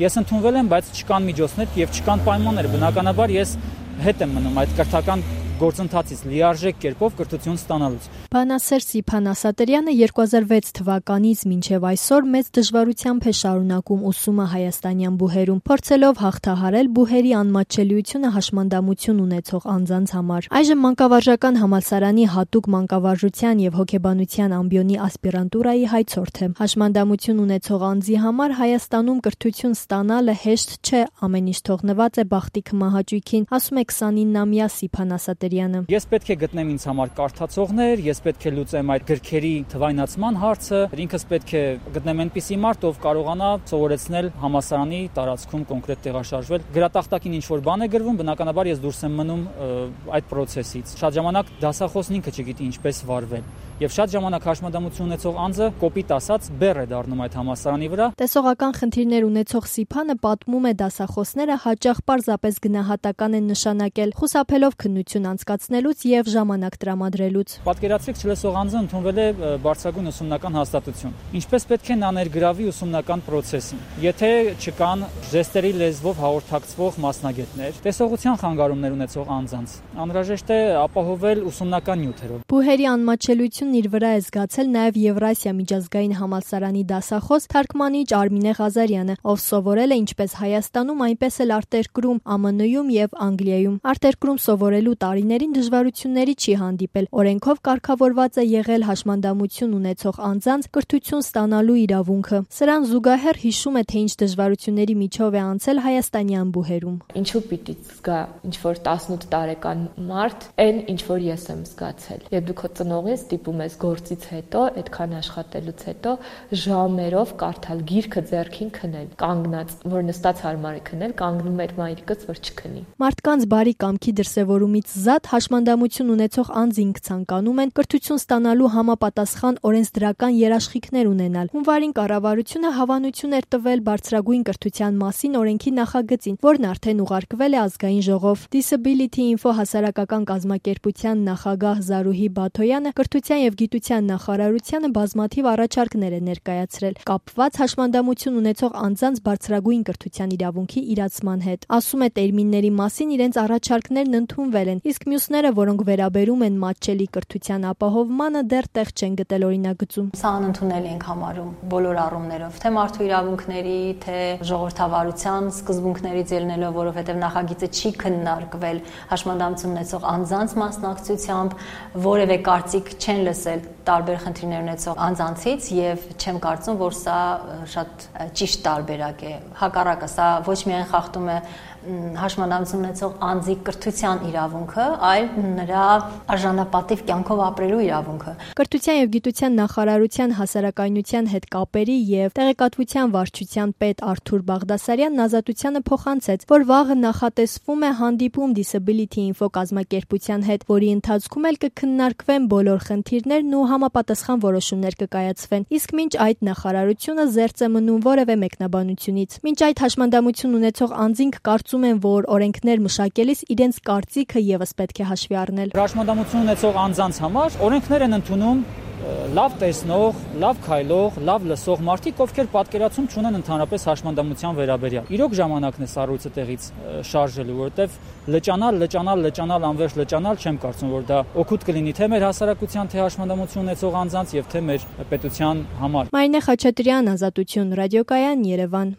Ես ընդունվել եմ, բայց չկան միջոցներ եւ չկան պայմաններ։ Բնականաբար ես հետ եմ մնում այդ կրթական գործընթացից լիարժեք կերպով կրթություն ստանալուց։ Բանասեր Սիփան Ասատրյանը 2006 թվականից մինչև այսօր մեծ դժվարությամբ է շարունակում ուսումը հայաստանյան բուհերում, փորձելով հաղթահարել բուհերի անմատչելիությունը հաշմանդամություն ունեցող անձանց համար։ Այժմ մանկավարժական համալսարանի հատուկ մանկավարժության եւ հոգեբանության ամբիոնի ասպիրանտուրայի հայցորդ է։ Հաշմանդամություն ունեցող անձի համար Հայաստանում կրթություն ստանալը հեշտ չէ, ամեն ինչ թողնված է բախտի քմահաճույքին, ասում է 29-ամյա Սիփան Ասատրյանը։ Ես պետք է գտնեմ ինձ համար կարդացողներ, ես պետք է լուծեմ այդ գրքերի թվայնացման հարցը, ինքս պետք է գտնեմ այնպիսի մարդ, ով կարողանա սովորեցնել համալսարանի տարածքում կոնկրետ տեղաշարժվել։ Գրատախտակին ինչ որ բան է գրվում, բնականաբար ես դուրս եմ մնում այդ process-ից։ Շատ ժամանակ դասախոսն ինքը չգիտի ինչպես վարվել։ Եվ շատ ժամանակ հաշմանդամություն ունեցող անձը կոպիտ ասած բեռ է դառնում այդ համալսարանի վրա։ Տեսողական խնդիրներ ունեցող Սիփանը պատմում է դասախոսները հաճախ պարզապես գնահատական են նշանակել, խուսափելով քննություն անցկացնելուց եւ ժամանակ տրամադրելուց։ Պատկերացրեք, չլսող անձը ընդունվել է բարձրագույն ուսումնական հաստատություն։ Ինչպես պետք է նա ներգրավի ուսումնական process-ին։ Եթե չկան ժեստերի լեզվով հաղորդակցվող մասնագետներ, տեսողության խանգարումներ ունեցող անձանց, անհրաժեշտ է ապահովել ուսումնական նյութերով։ Բուհերի անմատչելիությունն իր վրա է զգացել նաեւ Եվրասիա միջազգային համալսարանի դասախոս թարգմանիչ Արմինե Ղազարյանը, ով սովորել է ինչպես Հայաստանում, այնպես էլ արտերկրում, ԱՄՆ-ում եւ Անգլիայում։ Արտերկրում սովորելու տարիներին դժվարությունների չի հանդիպել։ Օրենքով կարգավորված է եղել հաշմանդամություն ունեցող անձանց կրթություն ստանալու իրավունքը։ Սրան զուգահեռ հիշում է, թե ինչ դժվարությունների միջով է անցել հայաստանյան բուհերում։ Ինչու պիտի զգա ինչ որ 18 տարեկան մարդ, այն ինչ որ ես եմ զգացել։ Երբ դու քո ծնողից ստիպում ես գործից հետո, այդքան աշխատելուց հետո ժամերով կարդալ գիրքը ձեռքին քնել, կանգնած, որ նստած հարմար է քնել, կանգնում էր մայրիկս, որ չքնի։ Մարդկանց բարի կամքի դրսևորումից զատ հաշմանդամություն ունեցող անձինք ցանկանում են կրթություն ստանալու համապատասխան օրենսդրական երաշխիքներ ունենալ։ Հունվարին կառավարությունը հավանություն էր տվել բարձրագույն կրթության մասին օրենքի նախագծին, որն արդեն ուղարկվել է ազգային ժողով։ Disability Info հասարակական կազմակերպության նախագահ Զարուհի Բաթոյանը կրթության եւ գիտության նախարարությանը բազմաթիվ առաջարկներ է ներկայացրել կապված հաշմանդամություն ունեցող անձանց բարձրագույն կրթության իրավունքի իրացման հետ։ Ասում է տերմինների մասին իրենց առաջարկներն ընդունվել են, իսկ մյուսները, որոնք վերաբերում են մատչելի կրթության ապահովմանը, դեռ տեղ չեն գտել օրինագծում։ Սա անընդունել ենք համարում բոլոր առումներով, թե մարդու իրավունքների, թե ժողովրդավարության սկզբունքներից ելնելով, որովհետև նախագիծը չի քննարկվել հաշմանդամություն ունեցող անձանց մասնակցությամբ, որևէ կարծիք չեն լսել տարբեր խնդիրներ ունեցող անձանցից եւ չեմ կարծում, որ սա շատ ճիշտ տարբերակ է։ Հակառակը, սա ոչ միայն խախտում է հաշմանդամություն ունեցող անձի կրթության իրավունքը, այլ նրա արժանապատիվ կյանքով ապրելու իրավունքը։ Կրթության եւ գիտության նախարարության հասարակայնության հետ կապերի եւ տեղեկատվության վարչության պետ Արթուր Բաղդասարյանն ազատությանը փոխանցեց, որ վաղը նախատեսվում է հանդիպում Disability Info կազմակերպության հետ, որի ընթացքում էլ կքննարկվեն բոլոր խնդիրներն ու համապատասխան որոշումներ կկայացվեն։ Իսկ մինչ այդ նախարարությունը զերծ է մնում որևէ մեկնաբանությունից։ Մինչ այդ հաշմանդամություն ունեցող անձինք կարծում են, որ օրենքներ մշակելիս իրենց կարծիքը եւս պետք է հաշվի առնել։ Հաշմանդամություն ունեցող անձանց համար օրենքներ են ընդունում լավ տեսնող, լավ քայլող, լավ լսող մարդիկ, ովքեր պատկերացում չունեն ընդհանրապես հաշմանդամության վերաբերյալ։ Իրոք ժամանակն է սառույցը տեղից շարժելու, որովհետև լճանալ, անվերջ լճանալ, չեմ կարծում, որ դա օգուտ կլինի թե մեր հասարակության, թե հաշմանդամություն ունեցող անձանց եւ թե մեր պետության համար։ Մարինե Խաչատրյան, Ազատություն, ռադիոկայան, Երևան։